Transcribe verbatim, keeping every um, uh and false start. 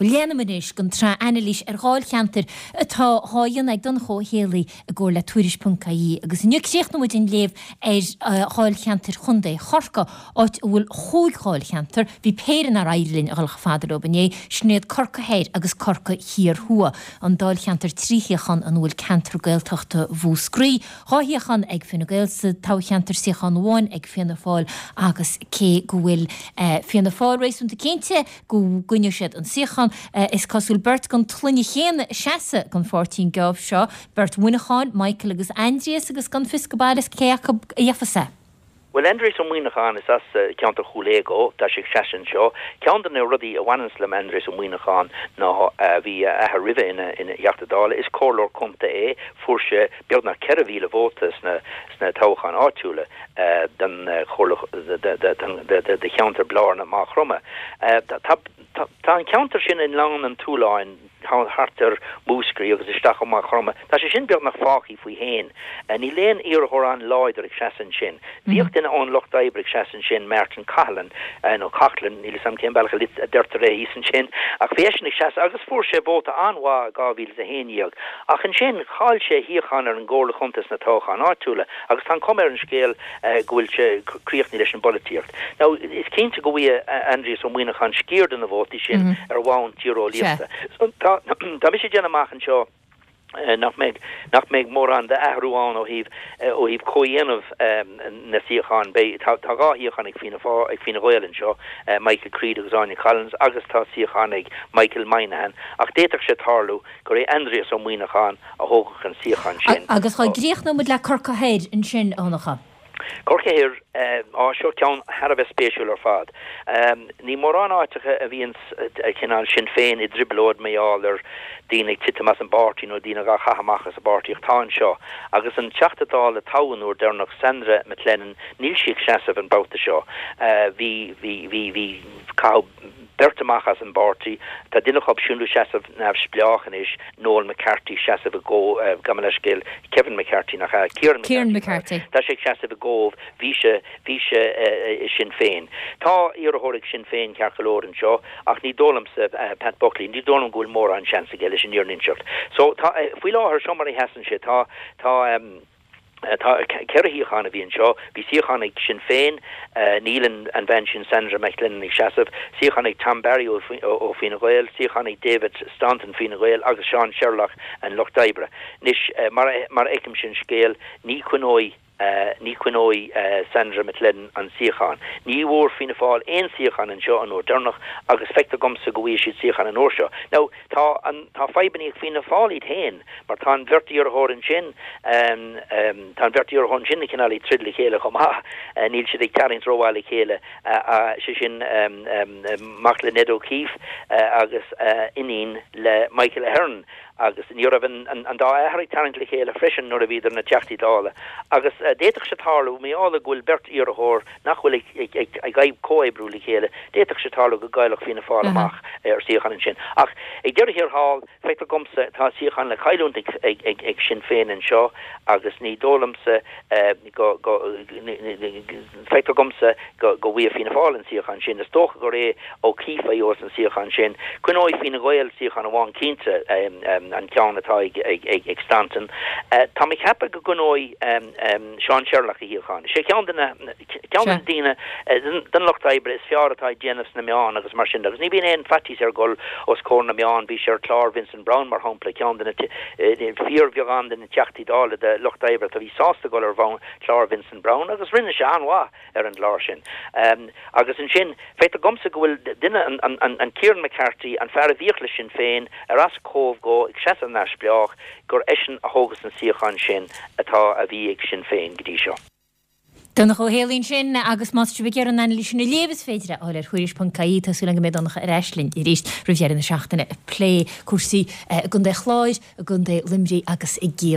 Bhuel, leanfaimid anois den tsraith anailís ar dháilcheantair atá á dhéanamh ag Donncha Ó Héalaí i gcomhar le Tuairisc ponc ie agus inniu críochnóimid an léamh ar dháilcheantair Chontae Chorcaí, áit a bhfuil chúig dháilcheantar, bhí péire nár éirigh linn a dhul chomh fada leo inné, sin iad Corcaigh Thoir agus Corcaigh Thiar Thuaidh, an dáilcheantar trí shuíochán ina bhfuil ceantar Gaeltachta Mhúscraí, dhá shuíochán ag Fine Gael sa toghcheantar, suíochán amháin ag Fianna Fáil agus cé go bhfuil Fianna Fáil réasúnta cinnte go gcoinneoidh siad an suíochán, is cosúil beirt den tsloinne chéanna ag seasamh don pháirtí an geábh seo, beirt Mhuineacháin, Michael agus Aindrias, agus gan fios go baileach cé acu a gheofas é. Bhuel, Aindrias Ó Muíneacháin, is as ceantar Chúil Aodha dó, tá sé ag seasamh anseo. Ceann de na rudaí a bhaineanns le Aindrias Ó Muíneacháin ná bhí a athair roimhe ina ina Theachta Dála, is comhairleoir contae é, fuair sé beagnach ceithre mhíle vóta sna sna toghcháin áitiúla don chomhairle do cheantar Blarna Maigh Chromtha. Tá an ceantar sin i nGleann an tSuláin thart ar Mhúscraí agus isteach ó Maigh Chromtha. Tá sé sin beagnach fágtha faoi fhéin. Níl aon iarrthóir an-láidir ag seasamh ansin. Bhíodh duine ón Lucht Oibre ag seasamh ansin, Martin Cahalan, nó Coughlan, níl 'fhios a'm cén bealach a deirtear é thíos ansin, ach bhí eisean ag seasamh agus fuair sé vóta an-mhaith i dhá mhíle is a haon dhéag. Ach ansin chaill sé a shuíochán ar an gComhairle Chontae sna toghcháin áitiúla agus tá an chuma ar an scéal go bhfuil sé críochnaithe leis an bpolaitíocht. Now, is cinnte go bhfaighidh Aindrias Ó Muíneacháin sciar de na vótaí sin ar bhonn tíreolaíochta. So tá tá mise ag déanamh amach anseo nach mbeidh nach mbeidh mórán d'athrú ann ó thaobh ó thaobh comhdhéanamh na suíochán. Beidh tá tá dhá shuíochán ag Fianna Fáil ag Fine Gael anseo, Michael Creed agus Áine Collins agus tá suíochán ag Michael Moynihan ach d'fhéadfadh sé tarlú gur é Aindrias Ó Muíneacháin a thógfadh an suíochán sin. Agus dhá gcríochnóidh muid le Corcaigh Thoir ansin, a Dhonncha. Corcaigh Thoir, á, seo ceann thar a bheith spéisiúil ar fad. Ní mórán áiteacha a bhíonn cineál Sinn Féin i dtrioblóid mar gheall ar daoine ag titim as an bpáirtí nó daoine dhá chaitheamh amach as an bpáirtí ach tá anseo. Agus an Teachta Dála a toghadh an uair deireanach, Sandra McLennan, níl sí ag seasamh an babhta seo. Bhí, bhí, bhí, bhí, caitheadh beirt amach as an bpáirtí. Tá duine acu siúd ag seasamh neamhspleách anois, Noel McCarthy, seasamh i gCóbh, gabh mo leithscéal, Kevin McCarthy nach ea? Kieran Kieran McCarthy. Tá sé ag seasamh i gCóbh, bhí sé, bhí sé i Sinn Féin. Tá iarrthóir ag Sinn Féin ceart go leor anseo ach ní dóigh liomsa, Pat Buckley, ní dóigh liom go bhfuil mórán seans aige leis an fhírinne a inseacht. So tá, faoi láthair, seo mar a sheasann sé, tá, tá, Tá ceithre shuíochán a bhí anseo. Bhí suíochán ag Sinn Féin, níl an bhean sin Sandra McLennan ag seasamh, suíochán ag Tom Barry ó Fine Gael, suíochán ag David Staunton Fine Gael agus Seán Sherlock an Lucht Oibre. Anois, mar a fheicimse an scéal, ní choinneoidh ní choinneoidh Sandra McLennan an suíochán. Ní bhfuair Fianna Fáil aon suíochán anseo an uair deireanach agus feictear dhomsa go bhfaighidh siad suíochán an uair seo. Now, tá an tá fadhbanna ag Fianna Fáil iad féin mar tá an bheirt iarrthóir ansin, tá an bheirt iarrthóir ansin cineál ag troid le chéile chomh maith, níl siad ag tarraingt rómhaith le chéile, sé sin mac le Ned O'Keeffe agus iníon le Michael Ahern agus ní raibh an dá athair ag tarraingt le chéile freisin nuair a bhíodar ina dTeachtaí Dála agus d'fhéadfadh sé tarlú, mar gheall go bhfuil beirt iarrthóir nach bhfuil ag comhoibriú le chéile, d'fhéadfadh sé tarlú go gcaillfeadh Fianna Fáil amach ar suíochán ansin. Ach ag deireadh thiar thall, feictear dhomsa, tá suíochán le cailliúint ag Sinn Féin anseo agus ní dóigh liomsa go, feictear dhomsa go bhfaighidh Fianna Fáil an suíochán sin. Is dócha gur é O'Keeffe a gheobhas an suíochán sin. Coinneoidh Fine Gael suíochán amháin cinnte, an ceann atá ag Staunton. Tá mé ag ceapadh go gcoinneoidh Seán Sherlock a shuíochán. Is é ceann de na ceann de na daoine den lucht oibre is fearr atá ag déanamh sna meáin agus mar sin de. Agus ní bhíonn aon faitíos air dul os comhair na meán. Bhí sé ar chlár Vincent Browne, mar shampla, ceann de na fíorbheagán de na Teachtaí Dála de lucht oibre atá a bhí sásta dul ar chlár Vincent Browne agus rinne sé an-mhaith ar an gclár sin. Agus ansin, feictear dhomsa go bhfuil duine, an Kieran McCarthy, an fear a bhíodh le Sinn Féin, ar as Cóbh dhó, ag seasamh neamhspleách, gur eisean a thógas an suíochán sin atá, a bhí ag Sinn Féin go dtí seo. Donncha Ó Héalaí ansin agus má tá sibh ag iarraidh an anailís sin a léamh is féidir é a fháil ar Thuairisc ponc ie. Tá súil agam go mbeidh Donncha ar ais linn arís roimh dheireadh na seachtaine ag plé cúrsaí i gContae Chláir, i gContae Luimnigh agus i gCiarraí.